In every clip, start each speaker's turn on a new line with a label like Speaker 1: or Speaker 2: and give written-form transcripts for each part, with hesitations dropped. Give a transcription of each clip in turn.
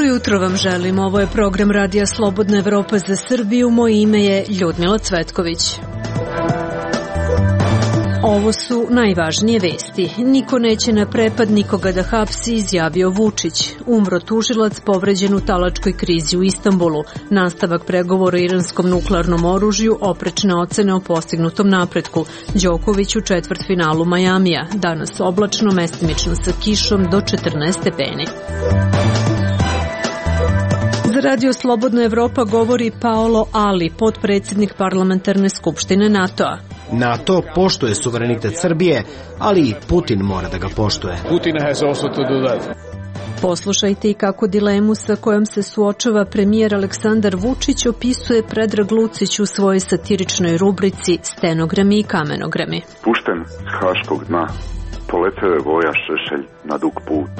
Speaker 1: Jutro vam želim, ovo je program Radija Slobodna Evropa za Srbiju, moje ime je Ljudmila Cvetković. Ovo su najvažnije vesti. Niko neće na prepad nikoga da hapsi, izjavio Vučić. Umro tužilac povređen u talačkoj krizi u Istanbulu. Nastavak pregovora o iranskom nuklearnom oružju, oprečne ocene o postignutom napretku. Đoković u četvrtfinalu Majamija. Danas oblačno, mestimično sa kišom do 14 stepeni. Za Radio Slobodna Evropa govori Paolo Ali, potpredsjednik parlamentarne skupštine NATO-a.
Speaker 2: NATO poštuje suverenitet Srbije, ali i Putin mora da ga poštuje.
Speaker 1: Poslušajte i kako dilemu sa kojom se suočava premijer Aleksandar Vučić opisuje Predrag Lucić u svojoj satiričnoj rubrici Stenogrami i kamenogrami.
Speaker 3: Pušten s haškog dna, poleteo je Voja Šešelj na dug put.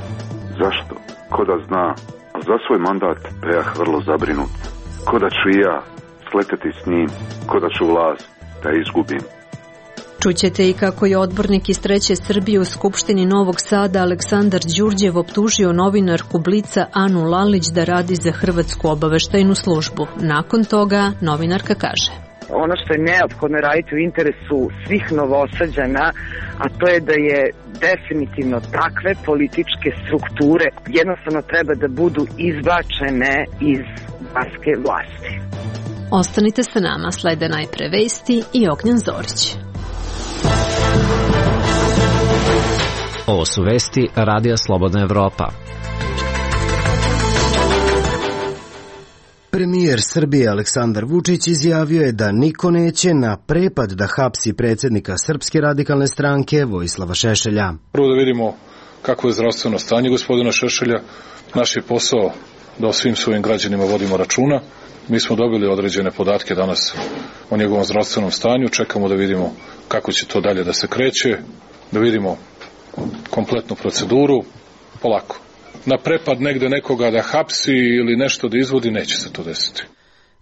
Speaker 3: Zašto? Ko da zna? Za svoj mandat prejah vrlo zabrinut. Ko da ću i ja sleteti s njim, ko da ću vlast da izgubim.
Speaker 1: Čućete i kako je odbornik iz Treće Srbije u Skupštini Novog Sada Aleksandar Đurđev optužio novinarku Blica Anu Lalić da radi za Hrvatsku obaveštajnu službu. Nakon toga novinarka kaže:
Speaker 4: ono što je neophodno raditi u interesu svih Novosađana, a to je da je definitivno takve političke strukture jednostavno treba da budu izbačene iz barske vlasti.
Speaker 1: Ostanite sa nama, slede najpre vesti i Ognjen Zorić.
Speaker 5: Ovo su vesti Radija Slobodna Evropa.
Speaker 2: Premijer Srbije Aleksandar Vučić izjavio je da niko neće na prepad da hapsi predsjednika Srpske radikalne stranke Vojislava Šešelja.
Speaker 6: Prvo da vidimo kako je zdravstveno stanje gospodina Šešelja. Naš je posao da o svim svojim građanima vodimo računa. Mi smo dobili određene podatke danas o njegovom zdravstvenom stanju. Čekamo da vidimo kako će to dalje da se kreće, da vidimo kompletnu proceduru, polako. Na prepad negde nekoga da hapsi ili nešto da izvodi, neće se to desiti.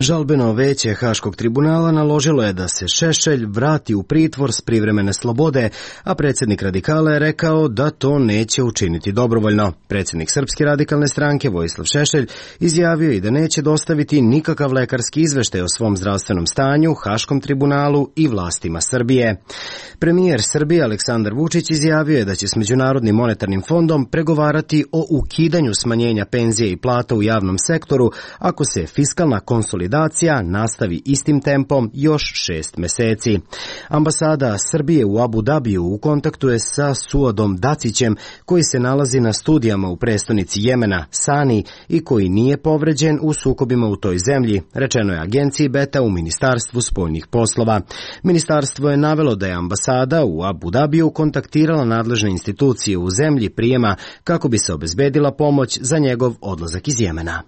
Speaker 2: Žalbeno veće Haškog tribunala naložilo je da se Šešelj vrati u pritvor s privremene slobode, a predsjednik radikala je rekao da to neće učiniti dobrovoljno. Predsjednik Srpske radikalne stranke Vojislav Šešelj izjavio i da neće dostaviti nikakav lekarski izveštaj o svom zdravstvenom stanju, Haškom tribunalu i vlastima Srbije. Premijer Srbije Aleksandar Vučić izjavio je da će s Međunarodnim monetarnim fondom pregovarati o ukidanju smanjenja penzije i plata u javnom sektoru ako se fiskalna konsolidacija nastavi istim tempom još 6 meseci. Ambasada Srbije u Abu Dabiju u kontaktu je sa Suadom Dacićem, koji se nalazi na studijama u prestonici Jemena, Sani, i koji nije povređen u sukobima u toj zemlji, rečeno je agenciji Beta u Ministarstvu spoljnih poslova. Ministarstvo je navelo da je ambasada u Abu Dabiju kontaktirala nadležne institucije u zemlji prijema kako bi se obezbedila pomoć za njegov odlazak iz Jemena.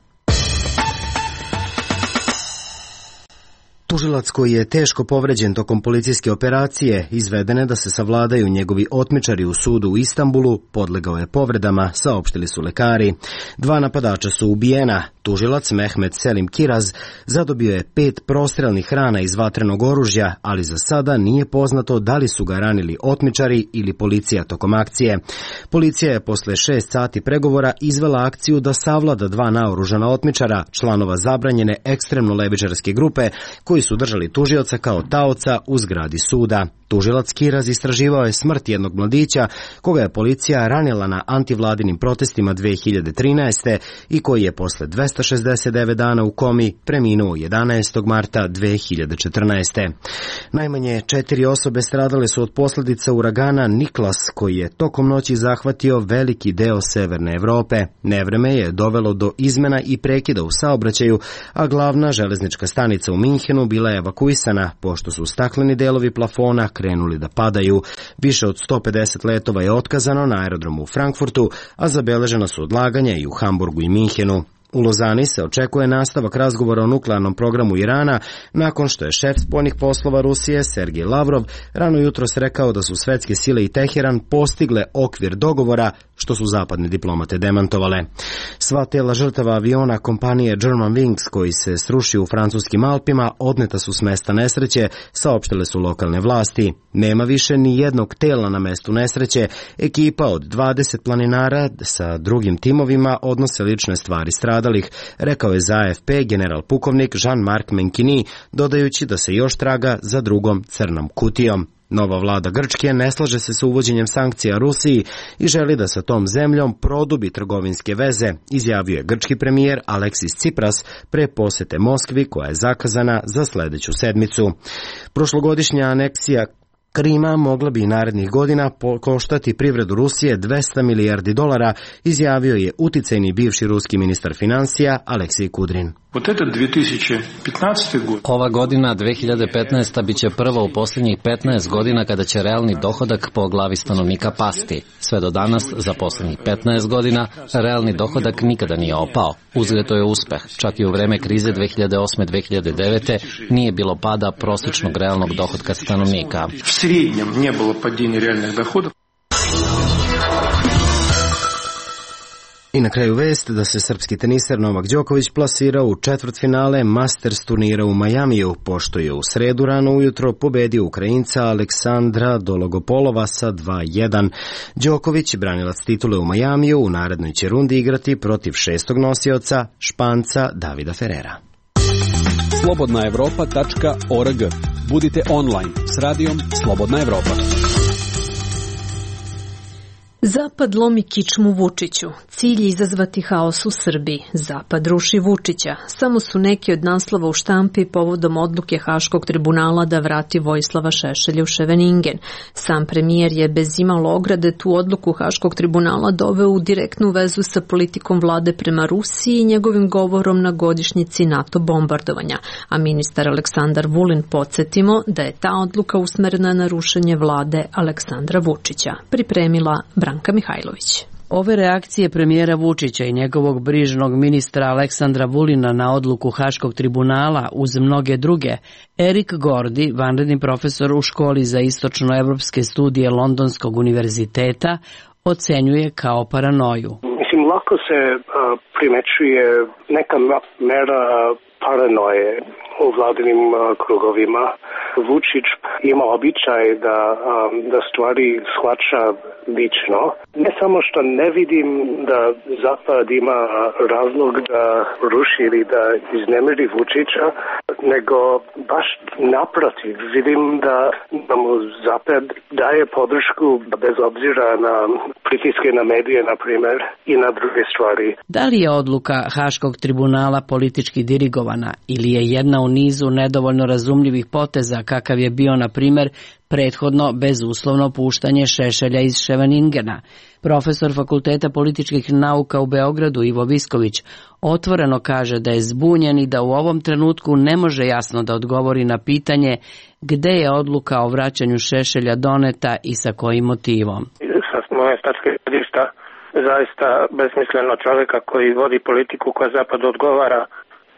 Speaker 2: Tužilac koji je teško povređen tokom policijske operacije izvedene da se savladaju njegovi otmičari u sudu u Istanbulu podlegao je povredama, saopštili su lekari. 2 napadača su ubijena. Tužilac Mehmet Selim Kiraz zadobio je 5 prostrelnih rana iz vatrenog oružja, ali za sada nije poznato da li su ga ranili otmičari ili policija tokom akcije. Policija je posle 6 sati pregovora izvela akciju da savlada 2 naoružana otmičara, članova zabranjene ekstremno levičarske grupe, koji su držali tužioca kao taoca u zgradi suda. Tužilac Kiraz istraživao je smrt jednog mladića koga je policija ranila na antivladinim protestima 2013. i koji je posle 269 dana u komi preminuo 11. marta 2014. Najmanje 4 osobe stradale su od posljedica uragana Niklas, koji je tokom noći zahvatio veliki deo severne Evrope. Nevreme je dovelo do izmena i prekida u saobraćaju, a glavna železnička stanica u Minhenu bila je evakuisana pošto su stakleni delovi plafona krenuli da padaju. Više od 150 letova je otkazano na aerodromu u Frankfurtu, a zabeležena su odlaganja i u Hamburgu i Minhenu. U Lozani se očekuje nastavak razgovora o nuklearnom programu Irana, nakon što je šef spoljnih poslova Rusije Sergej Lavrov rano jutros rekao da su svetske sile i Teheran postigle okvir dogovora što su zapadne diplomate demantovale. Sva tela žrtava aviona kompanije Germanwings koji se srušio u francuskim Alpima odneta su s mesta nesreće, saopštile su lokalne vlasti. Nema više ni jednog tela na mestu nesreće. Ekipa od 20 planinara sa drugim timovima odnose lične stvari stradalih, rekao je za AFP general pukovnik Jean-Marc Menkini, dodajući da se još traga za drugom crnom kutijom. Nova vlada Grčke ne slaže se sa uvođenjem sankcija Rusiji i želi da sa tom zemljom produbi trgovinske veze, izjavio je grčki premijer Aleksis Tsipras pre posete Moskvi koja je zakazana za sledeću sedmicu. Prošlogodišnja aneksija Krima mogla bi i narednih godina koštati privredu Rusije $200 milijardi, izjavio je uticajni bivši ruski ministar financija Aleksij Kudrin.
Speaker 5: Ova godina, 2015. biće prva u posljednjih 15 godina kada će realni dohodak po glavi stanovnika pasti. Sve do danas, za posljednjih 15 godina, realni dohodak nikada nije opao. Uzgled to je uspeh. Čak i u vreme krize 2008-2009. nije bilo pada prosječnog realnog dohodka stanovnika.
Speaker 7: V srednjem nije bilo padjenja realnih dohodov.
Speaker 2: I na kraju vest da se srpski teniser Novak Đoković plasirao u četvrtfinale Masters turnira u Majamiju, pošto je u sredu rano ujutro pobedio Ukrajinca Aleksandra Dologopolova sa 2-1. Đoković, branilac titule u Majamiju, u narednoj će rundi igrati protiv šestog nosioca Španca Davida Ferrera.
Speaker 8: Slobodnaevropa.org. Budite online s radijom Slobodna Evropa.
Speaker 1: Zapad lomi kičmu Vučiću. Cilj je izazvati haos u Srbiji. Zapad ruši Vučića. Samo su neki od naslova u štampi povodom odluke Haškog tribunala da vrati Vojislava Šešelja u Ševeningen. Sam premijer je bez imalo ograde tu odluku Haškog tribunala doveo u direktnu vezu sa politikom vlade prema Rusiji i njegovim govorom na godišnjici NATO bombardovanja. A ministar Aleksandar Vulin, podsjetimo da je ta odluka usmerena na rušenje vlade Aleksandra Vučića. Pripremila Branka Mihajlović.
Speaker 9: Ove reakcije premijera Vučića i njegovog brižnog ministra Aleksandra Vulina na odluku Haškog tribunala uz mnoge druge, Erik Gordi, vanredni profesor u školi za istočnoevropske studije Londonskog univerziteta, ocenjuje kao paranoju.
Speaker 10: Mislim, lako se primećuje neka mera paranoje u vladinim krugovima. Vučić ima običaj da stvari shvaća lično. Ne samo što ne vidim da Zapad ima razlog da ruši ili da iznemiri Vučića, nego baš naprotiv. Vidim da mu Zapad daje podršku bez obzira na pritiske na medije, na primjer, i na druge stvari.
Speaker 9: Da li je odluka Haškog tribunala politički dirigovana ili je jedna u nizu nedovoljno razumljivih poteza kakav je bio, na primjer, prethodno bezuslovno puštanje Šešelja iz Ševeningena? Profesor Fakulteta političkih nauka u Beogradu Ivo Visković otvoreno kaže da je zbunjen i da u ovom trenutku ne može jasno da odgovori na pitanje gde je odluka o vraćanju Šešelja doneta i sa kojim motivom.
Speaker 11: Sa moje tačke gledišta zaista besmisleno čovjeka koji vodi politiku koja Zapadu odgovara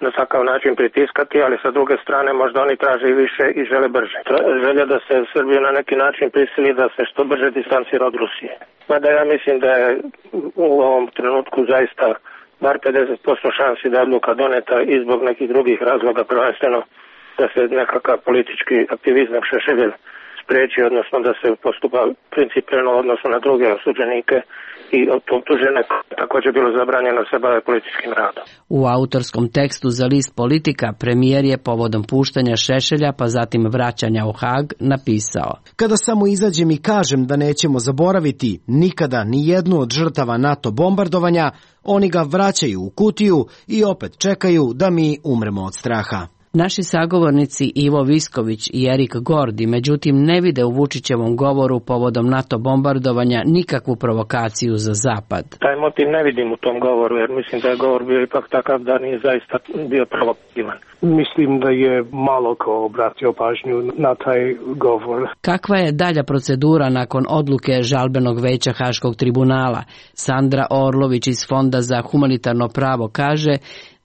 Speaker 11: na takav način pritiskati, ali sa druge strane možda oni traže i više i žele brže. Želja da se Srbiju na neki način prisili da se što brže distancira od Rusije. Mada ja mislim da je u ovom trenutku zaista bar 50% šansi da je odluka doneta i zbog nekih drugih razloga, prvenstveno da se nekakav politički aktivizam Šešelja spreči, odnosno da se postupa principijelno odnosno na druge osuđenike i optužene također bilo zabranjeno se bave političkim radom.
Speaker 9: U autorskom tekstu za list Politika premijer je povodom puštanja Šešelja pa zatim vraćanja u Hag napisao:
Speaker 2: Kada samo izađem i kažem da nećemo zaboraviti nikada ni jednu od žrtava NATO bombardovanja, oni ga vraćaju u kutiju i opet čekaju da mi umremo od straha.
Speaker 9: Naši sagovornici Ivo Visković i Erik Gordi međutim ne vide u Vučićevom govoru povodom NATO bombardovanja nikakvu provokaciju za Zapad.
Speaker 11: Taj motiv ne vidim u tom govoru, jer mislim da je govor bio ipak takav da nije zaista bio provokativan.
Speaker 10: Mislim da je malo ko obratio pažnju na taj govor.
Speaker 9: Kakva je dalja procedura nakon odluke žalbenog veća Haškog tribunala? Sandra Orlović iz Fonda za humanitarno pravo kaže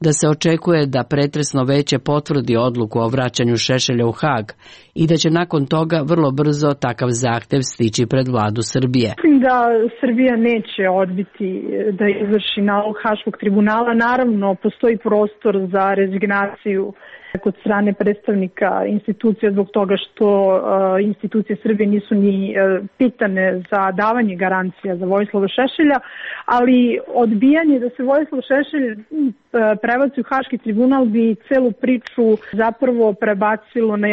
Speaker 9: da se očekuje da pretresno veće potvrdi odluku o vraćanju Šešelja u Hag i da će nakon toga vrlo brzo takav zahtev stići pred vladu Srbije.
Speaker 12: Mislim da Srbija neće odbiti da izvrši nalog Haškog tribunala. Naravno, postoji prostor za rezignaciju kod strane predstavnika institucija zbog toga što institucije Srbije nisu ni pitane za davanje garancija za Vojislava Šešelja, ali odbijanje da se Vojislav Šešelj prebaci u Haški tribunal bi celu priču zapravo prebacilo na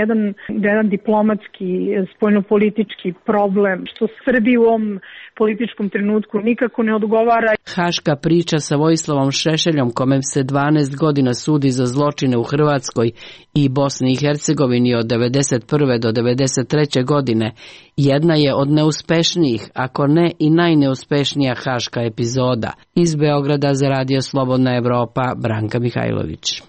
Speaker 12: jedan diplomatski, spoljnopolitički problem, što Srbiji u ovom političkom trenutku nikako ne odgovara.
Speaker 9: Haška priča sa Vojislavom Šešeljom, kome se 12 godina sudi za zločine u Hrvatskoj i Bosni i Hercegovini od 1991. do 1993. godine, jedna je od neuspešnijih, ako ne i najneuspešnija haška epizoda. Iz Beograda za Radio Slobodna Evropa, Branka Mihajlović.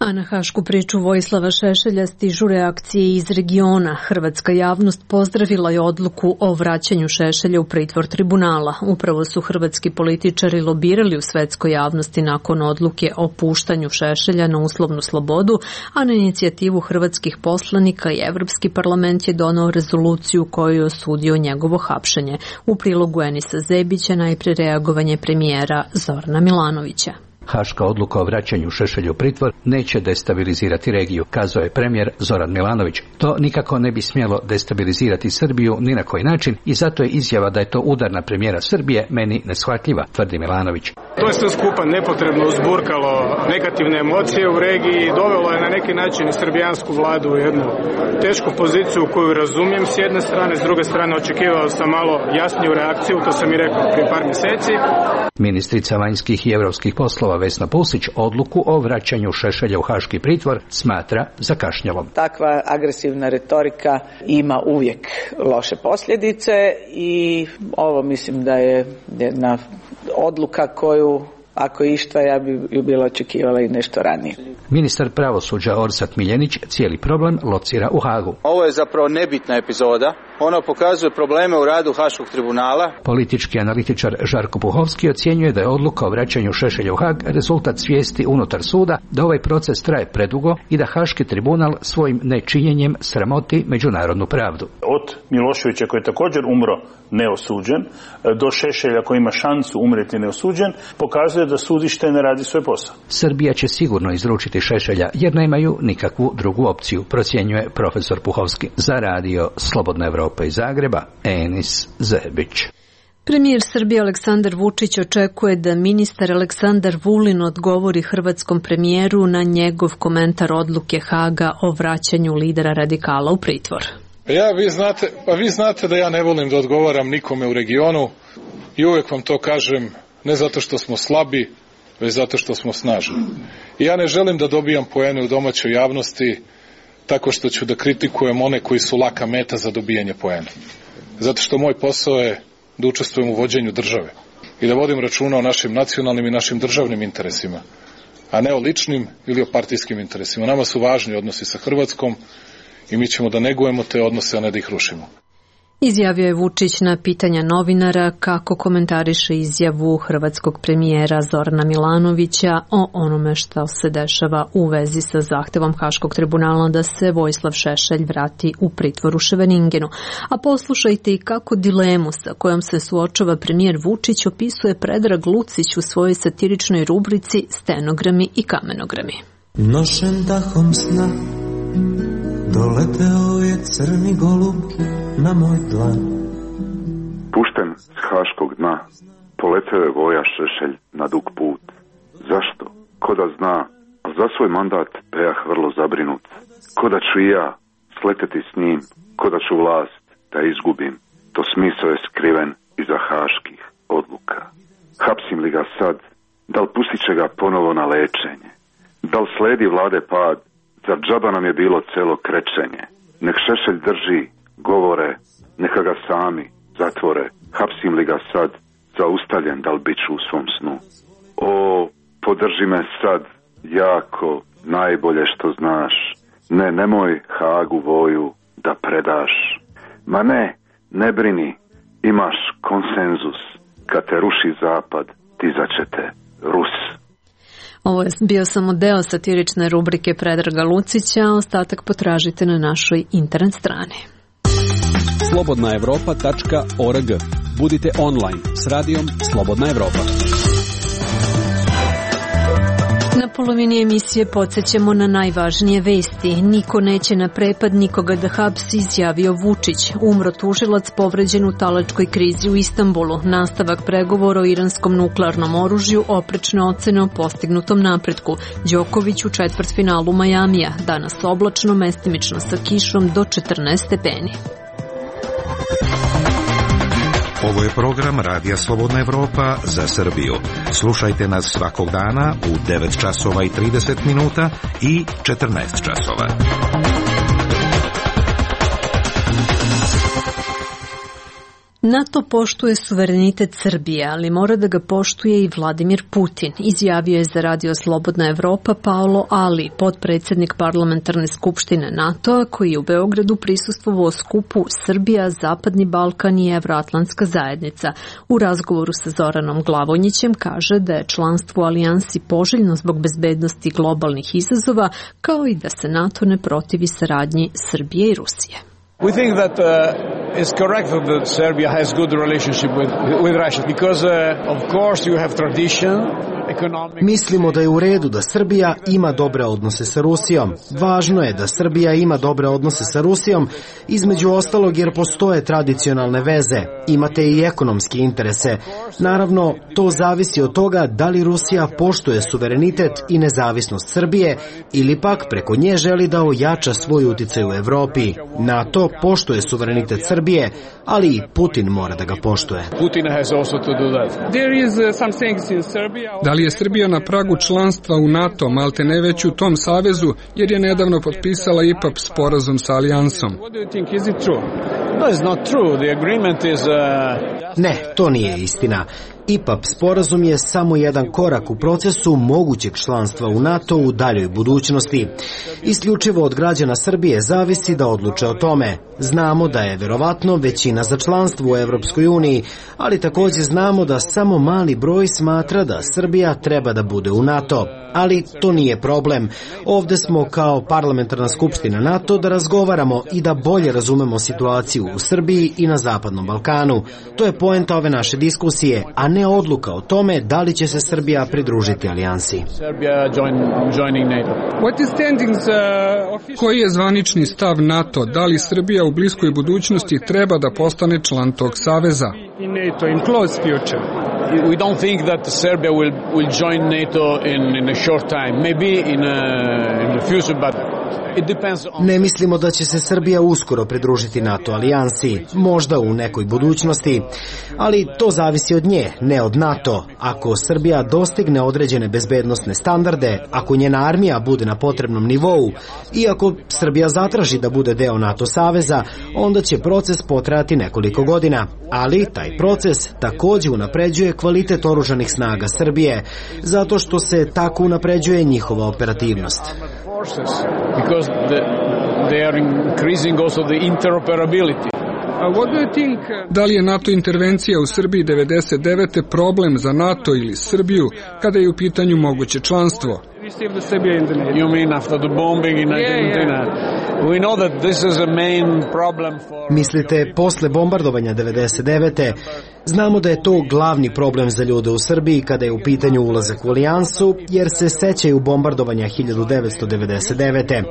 Speaker 1: A na hašku priču Vojislava Šešelja stižu reakcije iz regiona. Hrvatska javnost pozdravila je odluku o vraćanju Šešelja u pritvor tribunala. Upravo su hrvatski političari lobirali u svetskoj javnosti nakon odluke o puštanju Šešelja na uslovnu slobodu, a na inicijativu hrvatskih poslanika i Evropski parlament je donao rezoluciju koju je osudio njegovo hapšenje. U prilogu Enisa Zebića najpre reagovanje premijera Zorana Milanovića.
Speaker 13: Haška odluka o vraćanju Šešelja u pritvor neće destabilizirati regiju, kazao je premijer Zoran Milanović. To nikako ne bi smjelo destabilizirati Srbiju ni na koji način i zato je izjava da je to udar na premijera Srbije meni neshvatljiva, tvrdi Milanović.
Speaker 7: To je sve skupa nepotrebno uzburkalo negativne emocije u regiji i dovelo je na neki način i srbijansku vladu u jednu tešku poziciju koju razumijem s jedne strane, s druge strane očekivao sam malo jasniju reakciju, to sam i rekao prije par mjeseci.
Speaker 13: Ministrica vanjskih i europskih poslova Vesna Pusić odluku o vraćanju Šešelja u haški pritvor smatra zakašnjelom.
Speaker 14: Takva agresivna retorika ima uvijek loše posljedice i ovo mislim da je jedna odluka koju, ako išta, ja bi ju bila očekivala i nešto ranije.
Speaker 13: Ministar pravosuđa Orsat Miljenić cijeli problem locira u Hagu.
Speaker 15: Ovo je zapravo nebitna epizoda. Ona pokazuje probleme u radu Haškog tribunala.
Speaker 13: Politički analitičar Žarko Puhovski ocjenjuje da je odluka o vraćanju Šešelja u Hag rezultat svijesti unutar suda da ovaj proces traje predugo i da Haški tribunal svojim nečinjenjem sramoti međunarodnu pravdu.
Speaker 16: Od Miloševića koji je također umro neosuđen do Šešelja koji ima šansu umreti neosuđen pokazuje da sudište ne radi svoj posao.
Speaker 13: Srbija će sigurno izručiti Šešelja jer nemaju nikakvu drugu opciju, procjenjuje profesor Puhovski. Za Radio Slobodna Evropa iz Zagreba, Enis Zebić.
Speaker 1: Premijer Srbije Aleksandar Vučić očekuje da ministar Aleksandar Vulin odgovori hrvatskom premijeru na njegov komentar odluke Haga o vraćanju lidera radikala u pritvor.
Speaker 6: Vi znate da ja ne volim da odgovaram nikome u regionu i uvijek vam to kažem, ne zato što smo slabi, već zato što smo snažni. I ja ne želim da dobijam poene u domaćoj javnosti tako što ću da kritikujem one koji su laka meta za dobijanje poena. Zato što moj posao je da učestvujem u vođenju države i da vodim računa o našim nacionalnim i našim državnim interesima, a ne o ličnim ili o partijskim interesima. Nama su važni odnosi sa Hrvatskom i mi ćemo da negujemo te odnose, a ne da ih rušimo.
Speaker 1: Izjavio je Vučić na pitanja novinara kako komentariše izjavu hrvatskog premijera Zorana Milanovića o onome što se dešava u vezi sa zahtevom Haškog tribunala da se Vojislav Šešelj vrati u pritvor u Ševeningenu. A poslušajte i kako dilemu sa kojom se suočava premijer Vučić opisuje Predrag Lucić u svojoj satiričnoj rubrici Stenogrami i kamenogrami.
Speaker 17: Nošen dahom sna doleteo je crni golub na moj dlan.
Speaker 3: Pušten s haškog dna, poleteo je Voja Šešelj na dug put. Zašto? Ko da zna, a za svoj mandat prejah vrlo zabrinut. Ko da ću i ja sleteti s njim, ko da ću vlast da izgubim. To smisao je skriven iza haških odluka. Hapsim li ga sad, da li pustit će ga ponovo na lečenje? Da li sledi vlade pad, zar džaba nam je bilo celo krečenje? Nek Šešelj drži govore, neka ga sami zatvore. Hapsim li ga sad, zaustavljen da li bit ću u svom snu? O, podrži me sad, jako, najbolje što znaš. Nemoj Hagu Voju da predaš. Ma ne brini, imaš konsenzus. Kad te ruši zapad, dizat će te Rus.
Speaker 1: Ovo je bio samo deo satirične rubrike Predraga Lucića, a ostatak potražite na našoj internet strani.
Speaker 8: slobodnaevropa.org. Budite online s radijom Slobodna Evropa.
Speaker 1: Na polovini emisije podsjećamo na najvažnije vesti. Niko neće na prepad nikoga da hapsi, izjavio Vučić. Umro tužilac povređen u talačkoj krizi u Istanbulu. Nastavak pregovora o iranskom nuklearnom oružju, oprečne ocene o postignutom napretku. Đoković u četvrtfinalu Majamija. Danas oblačno, mestimično sa kišom do 14 stepeni.
Speaker 18: Ovo je program Radija Slobodna Evropa za Srbiju. Slušajte nas svakog dana u 9 časova i 30 minuta i 14 časova.
Speaker 1: NATO poštuje suverenitet Srbije, ali mora da ga poštuje i Vladimir Putin, izjavio je za Radio Slobodna Evropa Paolo Ali, potpredsjednik parlamentarne skupštine NATO-a, koji je u Beogradu prisustvovao skupu Srbija, Zapadni Balkan i Evroatlantska zajednica. U razgovoru sa Zoranom Glavonjićem kaže da je članstvo u alijansi poželjno zbog bezbednosti globalnih izazova, kao i da se NATO ne protivi saradnji Srbije i Rusije.
Speaker 19: We think that it's correct that Serbia has good relationship with Russia because of course you have tradition.
Speaker 2: Mislimo da je u redu da Srbija ima dobre odnose sa Rusijom. Važno je da Srbija ima dobre odnose sa Rusijom, između ostalog jer postoje tradicionalne veze, imate i ekonomske interese. Naravno, to zavisi od toga da li Rusija poštuje suverenitet i nezavisnost Srbije ili pak preko nje želi da ojača svoj uticaj u Evropi. NATO poštuje suverenitet Srbije, ali i Putin mora da ga poštuje.
Speaker 20: Da li je Srbija na pragu članstva u NATO, malte ne već u tom savezu, jer je nedavno potpisala IPAP sporazum sa alijansom?
Speaker 2: Ne, to nije istina. IPAP sporazum je samo jedan korak u procesu mogućeg članstva u NATO u daljoj budućnosti. Isključivo od građana Srbije zavisi da odluče o tome. Znamo da je verovatno većina za članstvo u Evropskoj uniji, ali također znamo da samo mali broj smatra da Srbija treba da bude u NATO. Ali to nije problem. Ovde smo kao parlamentarna skupština NATO da razgovaramo i da bolje razumemo situaciju u Srbiji i na Zapadnom Balkanu. To je poenta ove naše diskusije, a ne odluka o tome da li će se Srbija pridružiti alijansi.
Speaker 20: Koji je zvanični stav NATO? Da li Srbija u bliskoj budućnosti treba da postane član tog saveza?
Speaker 19: We don't think that Serbia will join NATO in a short time, maybe in the future, but it depends on...
Speaker 2: Ne mislimo da će se Srbija uskoro pridružiti NATO alijansi, možda u nekoj budućnosti, ali to zavisi od nje, ne od NATO. Ako Srbija dostigne određene bezbednosne standarde, ako njena armija bude na potrebnom nivou i ako Srbija zatraži da bude deo NATO saveza, onda će proces potrajati nekoliko godina, ali taj proces također unapređuje kvalitet oružanih snaga Srbije, zato što se tako unapređuje njihova operativnost.
Speaker 20: Da li je NATO intervencija u Srbiji 99. problem za NATO ili Srbiju kada je u pitanju moguće članstvo?
Speaker 19: You mean after the bombing in Argentina? We know that this is a main problem for...
Speaker 2: Mislite posle bombardovanja 99. Znamo da je to glavni problem za ljude u Srbiji kada je u pitanju ulazak u alijansu, jer se sećaju bombardovanja 1999.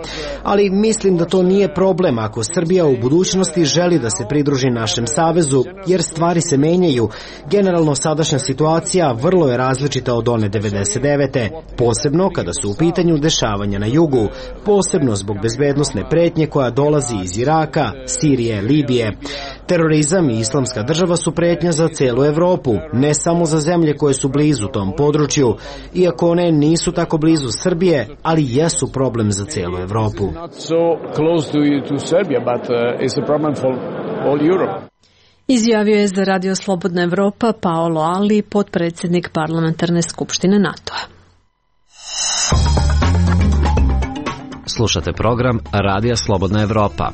Speaker 2: Ali mislim da to nije problem ako Srbija u budućnosti želi da se pridruži našem savezu, jer stvari se menjaju. Generalno sadašnja situacija vrlo je različita od one 99. Posebno kada su u pitanju dešavanja na jugu, posebno zbog bezbednosne pretnje koja dolazi iz Iraka, Sirije, Libije. Terorizam i islamska država su pretnja za celu Evropu, ne samo za zemlje koje su blizu tom području, iako one nisu tako blizu Srbije, ali jesu problem za celu Evropu.
Speaker 1: Izjavio je za Radio Slobodna Evropa Paolo Ali, potpredsjednik parlamentarne skupštine NATO-a.
Speaker 5: Slušate program Radija Slobodna Evropa.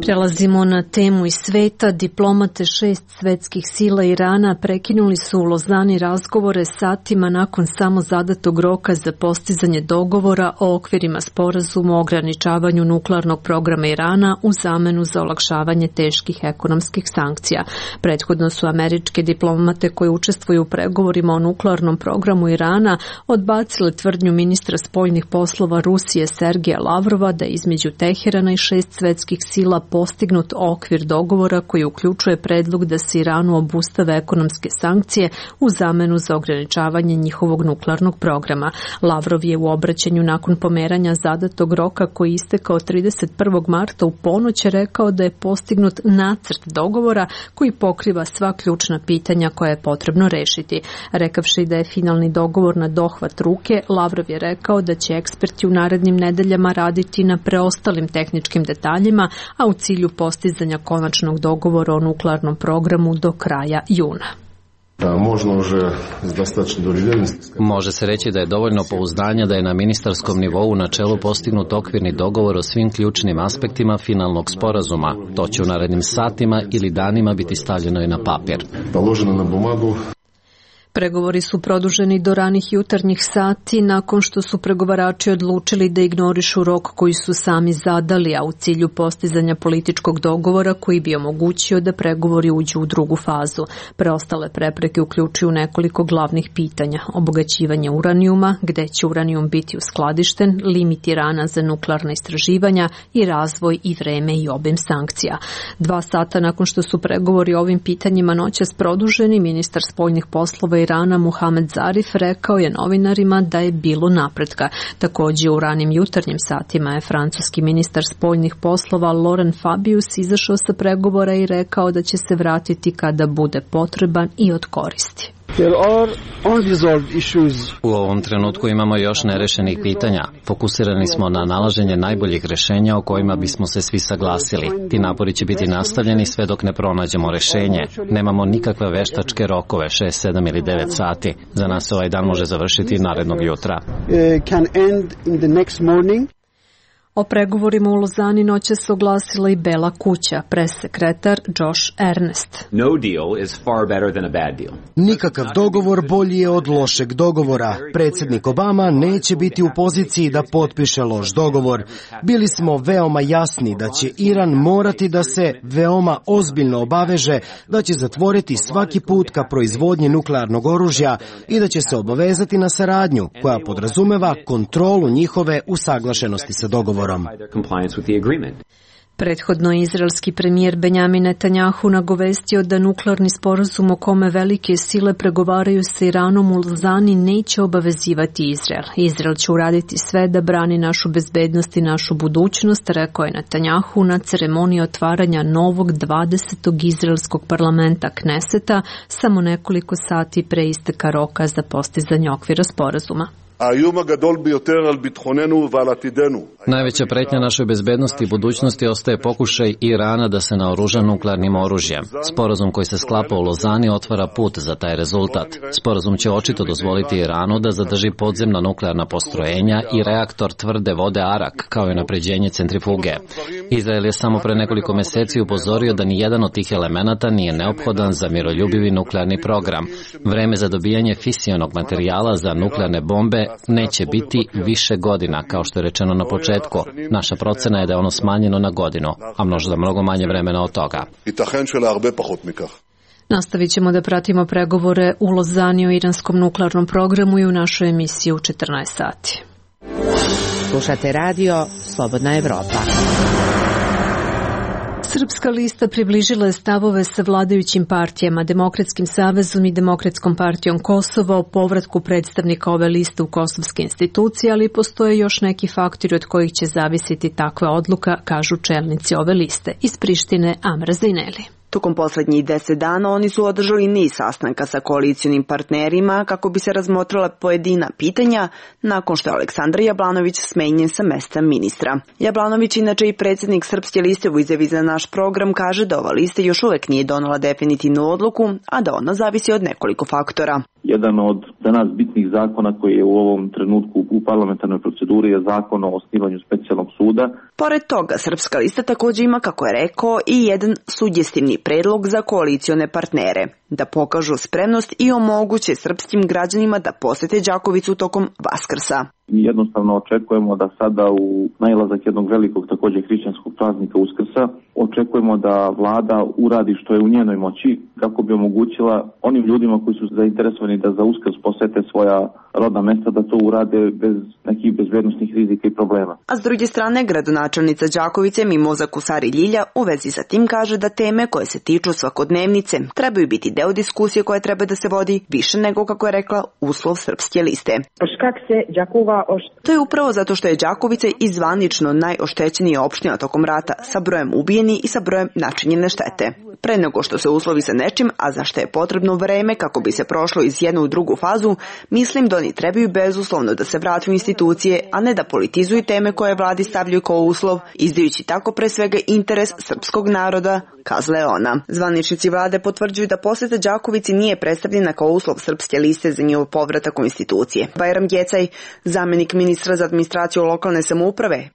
Speaker 1: Prelazimo na temu iz sveta. Diplomate 6 svetskih sila Irana prekinuli su u Lozani razgovore satima nakon samo zadatog roka za postizanje dogovora o okvirima sporazuma o ograničavanju nuklearnog programa Irana u zamenu za olakšavanje teških ekonomskih sankcija. Prethodno su američke diplomate koji učestvuju u pregovorima o nuklearnom programu Irana odbacile tvrdnju ministra spoljnih poslova Rusije Sergeja Lavrova da između Teherana i 6 svetskih sila postignut okvir dogovora koji uključuje predlog da se Iranu obustave ekonomske sankcije u zamenu za ograničavanje njihovog nuklearnog programa. Lavrov je u obraćanju nakon pomeranja zadatog roka koji je istekao 31. marta u ponoć rekao da je postignut nacrt dogovora koji pokriva sva ključna pitanja koja je potrebno rešiti. Rekavši da je finalni dogovor na dohvat ruke, Lavrov je rekao da će eksperti u narednim nedeljama raditi na preostalim tehničkim detaljima, a u cilju postizanja konačnog dogovora o nuklearnom programu do kraja juna.
Speaker 5: Može se reći da je dovoljno pouzdanja da je na ministarskom nivou u načelu postignut okvirni dogovor o svim ključnim aspektima finalnog sporazuma. To će u narednim satima ili danima biti stavljeno i na papir.
Speaker 1: Pregovori su produženi do ranih jutarnjih sati nakon što su pregovarači odlučili da ignorišu rok koji su sami zadali, a u cilju postizanja političkog dogovora koji bi omogućio da pregovori uđu u drugu fazu. Preostale prepreke uključuju nekoliko glavnih pitanja: obogaćivanje uranijuma, gde će uranijum biti uskladišten, limit Irana za nuklearna istraživanja i razvoj i vreme i obim sankcija. 2 sata nakon što su pregovori o ovim pitanjima noćas produženi, ministar spoljnih poslova Irana Mohamed Zarif rekao je novinarima da je bilo napretka. Također u ranim jutarnjim satima je francuski ministar spoljnih poslova Laurent Fabius izašao sa pregovora i rekao da će se vratiti kada bude potreban i od koristi.
Speaker 5: U ovom trenutku imamo još nerešenih pitanja. Fokusirani smo na nalaženje najboljih rešenja o kojima bismo se svi saglasili. Ti napori će biti nastavljeni sve dok ne pronađemo rešenje. Nemamo nikakve veštačke rokove, 6, 7 ili 9 sati. Za nas ovaj dan može završiti narednog jutra.
Speaker 1: O pregovorima u Lozani noće se oglasila i Bela kuća, pressekretar Josh Earnest.
Speaker 2: Nikakav dogovor bolji je od lošeg dogovora. Predsjednik Obama neće biti u poziciji da potpiše loš dogovor. Bili smo veoma jasni da će Iran morati da se veoma ozbiljno obaveže, da će zatvoriti svaki put ka proizvodnji nuklearnog oružja i da će se obavezati na saradnju koja podrazumeva kontrolu njihove usaglašenosti sa dogovorom.
Speaker 1: Prethodno je izraelski premijer Benjamin Netanjahu nagovestio da nuklearni sporazum o kome velike sile pregovaraju sa Iranom u Lozani neće obavezivati Izrael. Izrael će uraditi sve da brani našu bezbednost i našu budućnost, rekao je Netanjahu na ceremoniji otvaranja novog 20. izraelskog parlamenta Kneseta samo nekoliko sati pre isteka roka za postizanje okvira sporazuma.
Speaker 5: Najveća pretnja našoj bezbednosti i budućnosti ostaje pokušaj Irana da se naoruža nuklearnim oružjem. Sporazum koji se sklapa u Lozani otvara put za taj rezultat. Sporazum će očito dozvoliti Iranu da zadrži podzemna nuklearna postrojenja i reaktor tvrde vode Arak, kao i napređenje centrifuge. Izrael je samo pre nekoliko meseci upozorio da ni jedan od tih elemenata nije neophodan za miroljubivi nuklearni program. Vreme za dobijanje fisionog materijala za nuklearne bombe neće biti više godina, kao što je rečeno na početku. Naša procena je da je ono smanjeno na godinu, a možda mnogo manje vremena od toga.
Speaker 1: Nastavit ćemo da pratimo pregovore u Lozani o iranskom nuklearnom programu i u našoj emisiji u 14 sati.
Speaker 21: Slušate radio Slobodna Evropa.
Speaker 1: Srpska lista približila je stavove sa vladajućim partijama, Demokratskim savezom i Demokratskom partijom Kosova o povratku predstavnika ove liste u kosovske institucije, ali postoje još neki faktori od kojih će zavisiti takva odluka, kažu čelnici ove liste. Iz Prištine Amra Zajneli.
Speaker 22: Tokom poslednjih 10 dana oni su održali niz sastanka sa koalicionim partnerima kako bi se razmotrila pojedina pitanja nakon što je Aleksandar Jablanović smenjen sa mesta ministra. Jablanović, inače i predsjednik Srpske liste, u izjavi za naš program kaže da ova lista još uvek nije donela definitivnu odluku, a da ona zavisi od nekoliko faktora.
Speaker 4: Jedan od za nas bitnih zakona koji je u ovom trenutku u parlamentarnoj proceduri je zakon o osnivanju specijalnog suda.
Speaker 22: Pored toga, Srpska lista također ima, kako je rekao, i jedan sugestivni predlog za koalicione partnere, da pokažu spremnost i omoguće srpskim građanima da posete Đakovicu tokom Vaskrsa.
Speaker 4: Mi jednostavno očekujemo da sada u nailazak jednog velikog također hrišćanskog praznika Uskrsa očekujemo da vlada uradi što je u njenoj moći kako bi omogućila onim ljudima koji su zainteresovani da za Uskrs posete svoja rodna mesta da to urade bez nekih bezbednosnih rizika i problema.
Speaker 22: A s druge strane, gradonačelnica Đakovice Mimoza Kusari Ljilja u vezi sa tim kaže da teme koje se tiču svakodnevnice trebaju biti deo diskusije koja treba da se vodi više nego, kako je rekla, uslov Srpske liste. To je upravo zato što je Đakovica i zvanično najoštećenija opština tokom rata sa brojem ubijeni i sa brojem načinjene štete. Pre nego što se uslovi sa nečim, a za što je potrebno vreme kako bi se prošlo iz jednu u drugu fazu, mislim da oni trebaju bezuslovno da se vrate u institucije, a ne da politizuju teme koje vladi stavljaju kao uslov, izdajući tako pre svega interes srpskog naroda, kazala je ona. Zvaničnici vlade potvrđuju da poseta Đakovici nije predstavljena kao uslov Srpske liste za njihov povratak u institucije. Bajram Gecaj, zamenik ministra za administraciju lokalne samouprave,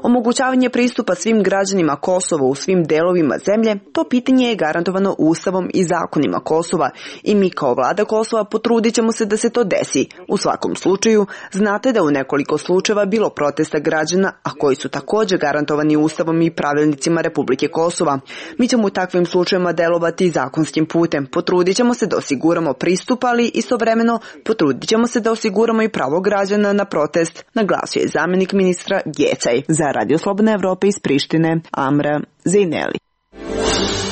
Speaker 22: omogućavanje pristupa svim građanima Kosova u svim delovima zemlje, to pitanje je garantovano Ustavom i zakonima Kosova i mi kao vlada Kosova potrudit ćemo se da se to desi. U svakom slučaju, znate da u nekoliko slučajeva bilo protesta građana, a koji su također garantovani Ustavom i pravilnicima Republike Kosova. Mi ćemo u takvim slučajevima delovati zakonskim putem. Potrudit ćemo se da osiguramo pristup, ali istovremeno potrudit ćemo se da osiguramo i pravo građana na protest, naglasio je zamenik ministra Gecaj. Za Radio Slobodna Evropa iz Prištine, Amra Zejneli.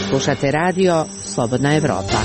Speaker 21: Slušate radio Slobodna Evropa.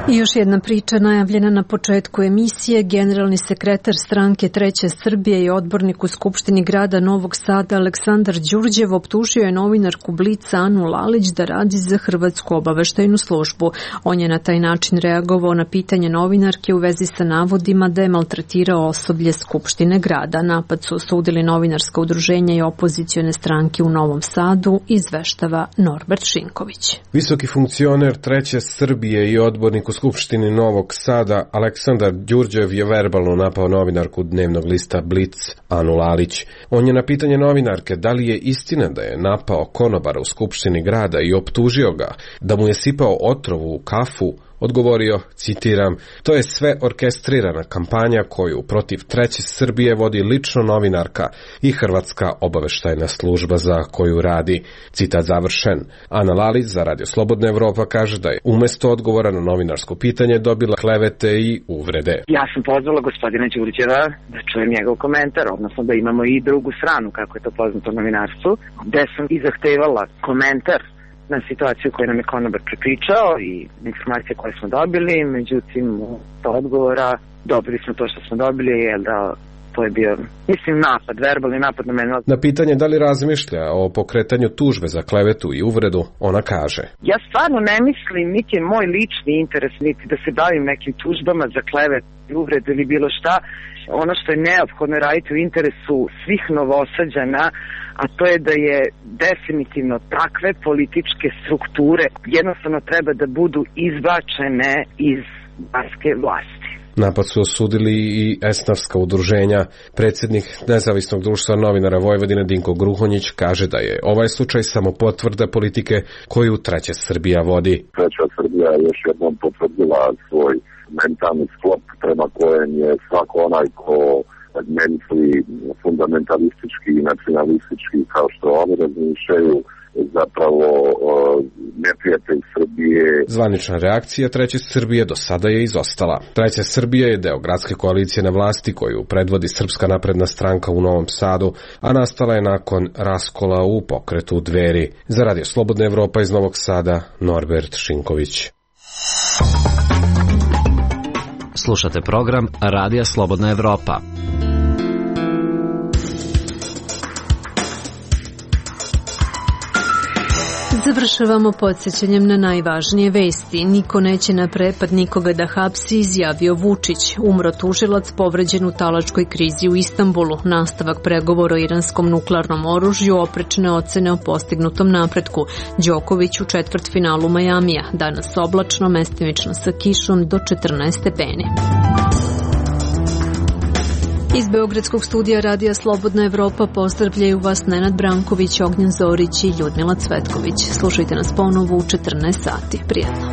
Speaker 1: I još jedna priča najavljena na početku emisije. Generalni sekretar stranke Treće Srbije i odbornik u Skupštini grada Novog Sada Aleksandar Đurđev optužio je novinarku Blica Anu Lalić da radi za Hrvatsku obaveštajnu službu. On je na taj način reagovao na pitanje novinarke u vezi sa navodima da je maltretirao osoblje Skupštine grada. Napad su osudili novinarska udruženja i opozicione stranke u Novom Sadu, izveštava Norbert Šinković.
Speaker 11: Visoki funkcioner Treće Srbije i odbornik u Skupštini Novog Sada Aleksandar Đurđev je verbalno napao novinarku dnevnog lista Blic Anu Lalić. On je na pitanje novinarke da li je istina da je napao konobara u Skupštini grada i optužio ga da mu je sipao otrovu u kafu, odgovorio, citiram, to je sve orkestrirana kampanja koju protiv Treće Srbije vodi lično novinarka i Hrvatska obaveštajna služba za koju radi. Citat završen. Ana Lalić za Radio Slobodna Evropa kaže da je umjesto odgovora na novinarsko pitanje dobila klevete i uvrede.
Speaker 23: Ja sam pozvala gospodina Đurđeva da čujem njegov komentar, odnosno da imamo i drugu stranu, kako je to poznato u novinarstvu, gde sam i zahtevala komentar na situaciju koju nam je konobar prepričao i informacije koje smo dobili, međutim to odgovora dobili smo to što smo dobili, jer da to je bio, mislim, napad, verbalni napad na mene.
Speaker 11: Na pitanje da li razmišlja o pokretanju tužbe za klevetu i uvredu, ona kaže:
Speaker 23: Ja stvarno ne mislim, niti je moj lični interes, niti da se bavim nekim tužbama za klevetu i uvredu ili bilo šta. Ono što je neophodno raditi u interesu svih Novosađana, a to je da je definitivno takve političke strukture jednostavno treba da budu izbačene iz banjske vlasti.
Speaker 11: Napad su osudili i esnafska udruženja. Predsjednik Nezavisnog društva novinara Vojvodine Dinko Gruhonjić kaže da je ovaj slučaj samo potvrda politike koju Treća Srbija vodi.
Speaker 24: Treća Srbija je još jednom potvrdila svoj mentalni sklop prema kojem je svako onaj ko misli fundamentalistički i nacionalistički kao što oni razmišljaju zapravo neprijatelj Srbije.
Speaker 11: Zvanična reakcija Treće Srbije do sada je izostala. Treća Srbija je deo gradske koalicije na vlasti koju predvodi Srpska napredna stranka u Novom Sadu, a nastala je nakon raskola u pokretu Dveri. Za Radio Slobodna Evropa iz Novog Sada, Norbert Šinković.
Speaker 5: Slušate program Radija Slobodna Evropa.
Speaker 1: Završavamo podsjećanjem na najvažnije vesti. Niko neće na prepad nikoga da hapsi, izjavio Vučić. Umro tužilac povređen u talačkoj krizi u Istanbulu. Nastavak pregovora o iranskom nuklearnom oružju, oprečne ocene o postignutom napretku. Đoković u četvrtfinalu Majamija. Danas oblačno, mestimično sa kišom do 14 stepeni. Iz Beogradskog studija Radija Slobodna Evropa pozdravljaju vas Nenad Branković, Ognjen Zorić i Ljudmila Cvetković. Slušajte nas ponovo u 14 sati. Prijetno.